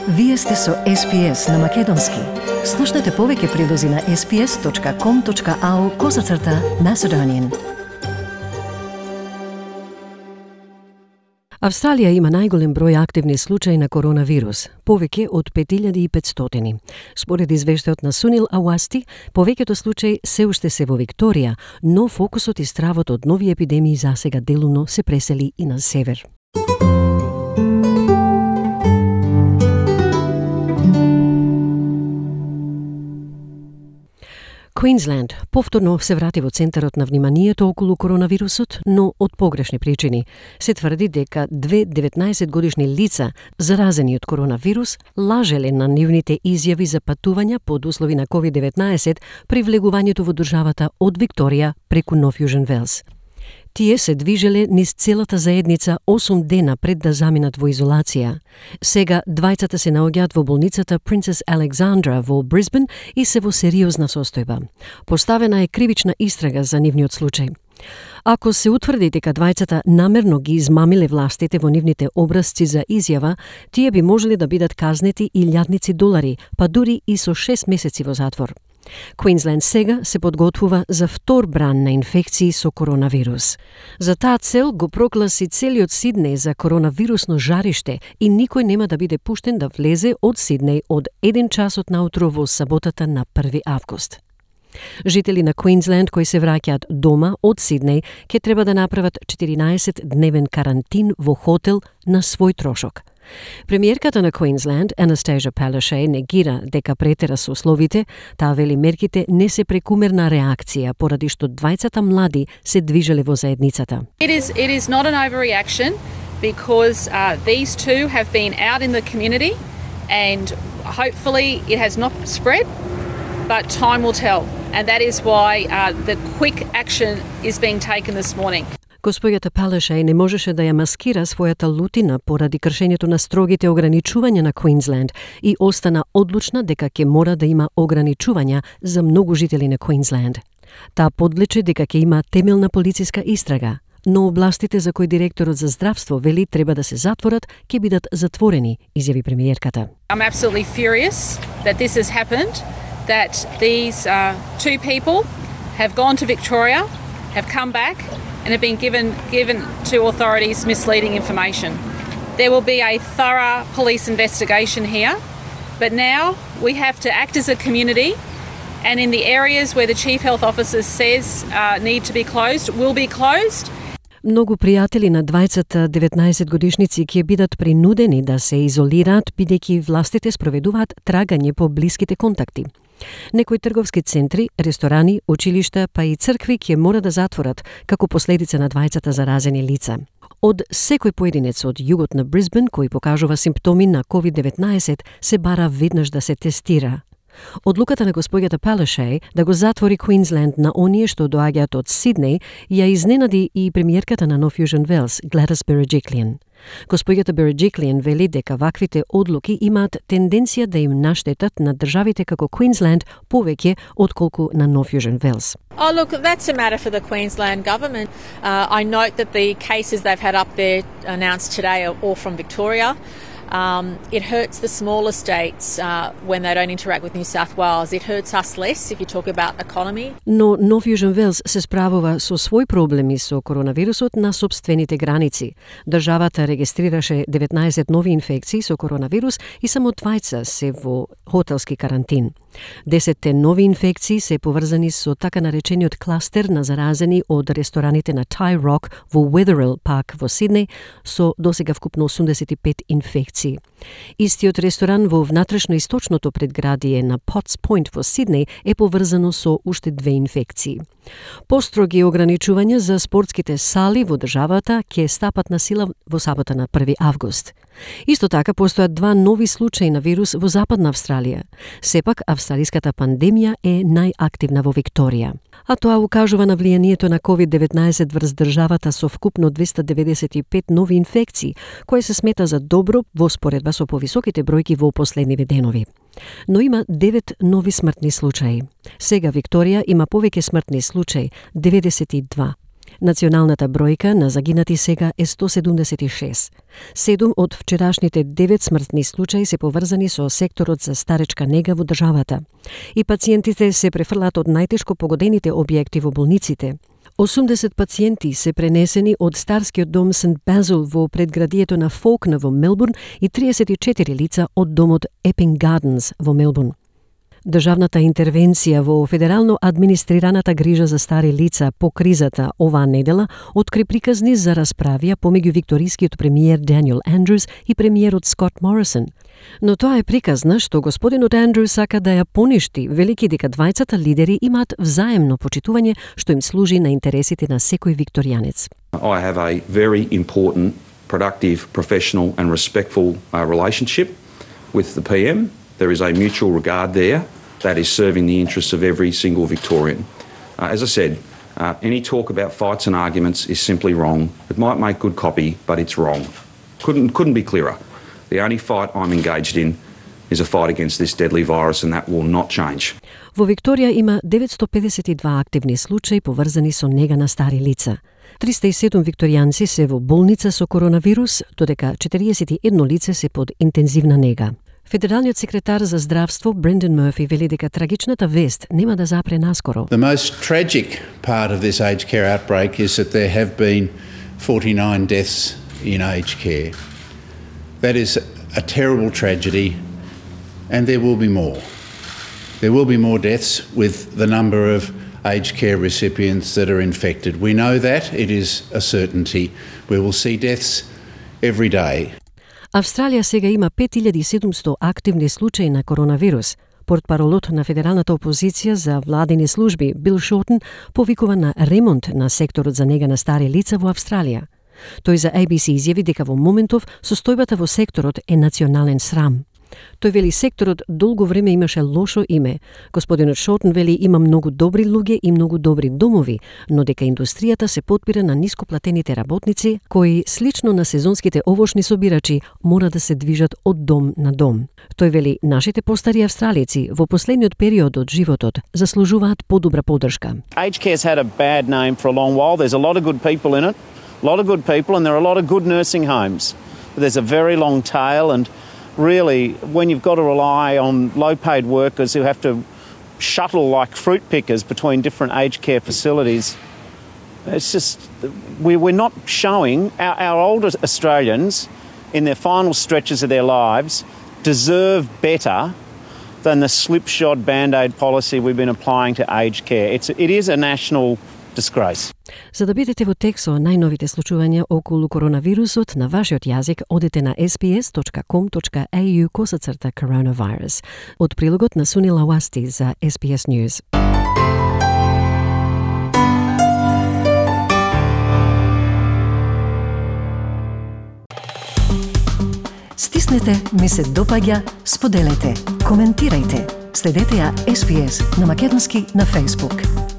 Вие сте со SPS на Македонски. Слушнете повеќе прилози на sps.com.au/Macedonian. Австралија има најголем број активни случаи на коронавирус, повеќе од 5500. Според извештајот на Сунил Ауасти, повеќето случаи се уште се во Викторија, но фокусот и стравот од нови епидемии засега делумно се пресели и на север. Квинсленд повторно се врати во центарот на вниманието околу коронавирусот, но од погрешни причини. Се тврди дека две 19-годишни лица заразени од коронавирус лажеле на нивните изјави за патувања под услови на COVID-19 при влегувањето во државата од Викторија преку Нов Јужен Велс. Тие се движеле низ целата заедница 8 дена пред да заминат во изолација. Сега двајцата се наоѓаат во болницата Princess Alexandra во Брисбен и се во сериозна состојба. Поставена е кривична истрага за нивниот случај. Ако се утврди дека двајцата намерно ги измамиле властите во нивните образци за изјава, тие би можеле да бидат казнети $1000, па дури и со 6 месеци во затвор. Квинсленд сега се подготвува за втор бран на инфекции со коронавирус. За таа цел го прогласи целиот Сиднеј за коронавирусно жариште и никој нема да биде пуштен да влезе од Сиднеј од 1 часот наутро во саботата на 1 август. Жители на Квинсленд кои се враќаат дома од Сиднеј ќе треба да направат 14-дневен карантин во хотел на свој трошок. Премиерката на Квинсленд, Anastasia Palaszczuk, негира дека претера со условите, таа вели мерките не се прекумерна реакција поради што двајцата млади се движеле во заедницата. It is not an overreaction because these two have been out in the community and hopefully it has not spread, but time will tell. And that is why the quick action is being taken this morning. Госпоѓата Palaszczuk не можеше да ја маскира својата лутина поради кршењето на строгите ограничувања на Квинсленд и остана одлучна дека ќе мора да има ограничувања за многу жители на Квинсленд. Таа подличи дека ќе има темелна полициска истрага, но областите за кои директорот за здравство вели треба да се затворат, ќе бидат затворени, изјави премиерката. I'm absolutely furious that this has happened, that these two people have gone to Victoria, have come back and have been given to authorities misleading information. There will be a thorough police investigation here, but now we have to act as a community, and in the areas where the Chief Health Officer says need to be closed, will be closed. Многу пријатели на двајцата 19-годишници ќе бидат принудени да се изолираат бидејќи властите спроведуваат трагање по блиските контакти. Некои трговски центри, ресторани, училишта, па и цркви ќе мора да затворат како последица на двајцата заразени лица. Од секој поединец од југот на Брисбен кој покажува симптоми на COVID-19 се бара веднаш да се тестира. Одлуката на госпоѓата Palaszczuk да го затвори Квинсленд на оние што доаѓаат од Сиднеј ја изненади и премиерката на Нов Јужен Велс, Gladys Berejiklian. Госпоѓата Berejiklian вели дека ваквите одлуки имаат тенденција да им наштетат на државите како Квинсленд повеќе отколку на Нов Јужен Велс. Oh, look, that's a matter for the Queensland government. I note that the cases they've had up there announced today are all from Victoria. It hurts the smaller states when they don't interact with New South Wales. It hurts us less if you talk about economy. Но Нов Јужен Велс се справува со свој проблеми со коронавирусот на собствените граници. Државата регистрираше 19 нови инфекции со коронавирус и само 2 се во хотелски карантин. 10 нови инфекции се поврзани со така наречениот кластер на заразени од рестораните на Thai Rock во Wetherill Park во Сиднеј со досега вкупно 85 инфекции. Истиот ресторан во внатрешно-источното предградие на Potts Point во Сиднеј е поврзано со уште 2 инфекции. Построги ограничувања за спортските сали во државата ќе стапат на сила во сабота на 1 август. Исто така постојат 2 нови случаи на вирус во Западна Австралија. Сепак австралиската пандемија е најактивна во Викторија. А тоа укажува на влијанието на COVID-19 врз државата со вкупно 295 нови инфекции, кое се смета за добро во споредба со повисоките бројки во последниве денови. Но има 9 нови смртни случаи. Сега Викторија има повеќе смртни случаи, 92. Националната бројка на загинати сега е 176. 7 од вчерашните 9 смртни случаи се поврзани со секторот за старечка нега во државата. И пациентите се префрлат од најтешко погодените објекти во болниците. 80 пациенти се пренесени од старскиот дом Сент Базил во предградието на Фолкнер во Мелбурн и 34 лица од домот Epping Gardens во Мелбурн. Државната интервенција во федерално администрираната грижа за стари лица по кризата оваа недела откри приказни за расправија помеѓу викторискиот премиер Даниел Андрюс и премиерот Скот Морисон. Но тоа е приказна што господинот Андрюс сака да ја поништи, велики дека двајцата лидери имаат взаемно почитување што им служи на интересите на секој викторијанец. I have a very important, productive, professional and respectful relationship with the PM. There is a mutual regard there that is serving the interests of every single Victorian. As I said, any talk about fights and arguments is simply wrong. It might make good copy, but it's wrong. Couldn't be clearer. The only fight I'm engaged in is a fight against this deadly virus, and that will not change. Во Викторија има 952 активни случаи поврзани со нега на стари лица. 307 викторијанци се во болница со коронавирус, додека 41 лице се под интензивна нега. Федералниот секретар за здравство Брендан Мърфи вели дека трагичната вест нема да запре наскоро. The most tragic part of this aged care outbreak is that there have been 49 deaths in aged care. That is a terrible tragedy, and there will be more. There will be more deaths with the number of aged care recipients that are infected. We know that, it is a certainty. We will see deaths every day. Австралија сега има 5700 активни случаи на коронавирус. Портпаролот на федералната опозиција за владини служби Бил Шортен повикува на ремонт на секторот за нега на стари лица во Австралија. Тој за ABC изјави дека во моментов состојбата во секторот е национален срам. Тој вели секторот долго време имаше лошо име. Господинот Шортен вели има многу добри луѓе и многу добри домови, но дека индустријата се потпира на нископлатените работници, кои, слично на сезонските овошни собирачи, мора да се движат од дом на дом. Тој вели нашите постари австралици во последниот период од животот заслужуваат подобра поддршка. Aged care's had a bad name for a long while. There's a lot of good people in it, a lot of good people, and there are a lot of good nursing homes. But there's a very long tail, and really, when you've got to rely on low-paid workers who have to shuttle like fruit pickers between different aged care facilities, it's just, we're not showing our older Australians in their final stretches of their lives deserve better than the slipshod band-aid policy we've been applying to aged care. It is a national disgrace. За да бидете во тек со најновите случувања околу коронавирусот на вашиот јазик, одете на sbs.com.au/coronavirus. Од прилогот на Суни Лауасти за SBS News. Стиснете, ми се допаѓа, споделете, коментирајте. Следете ја SBS на македонски на Facebook.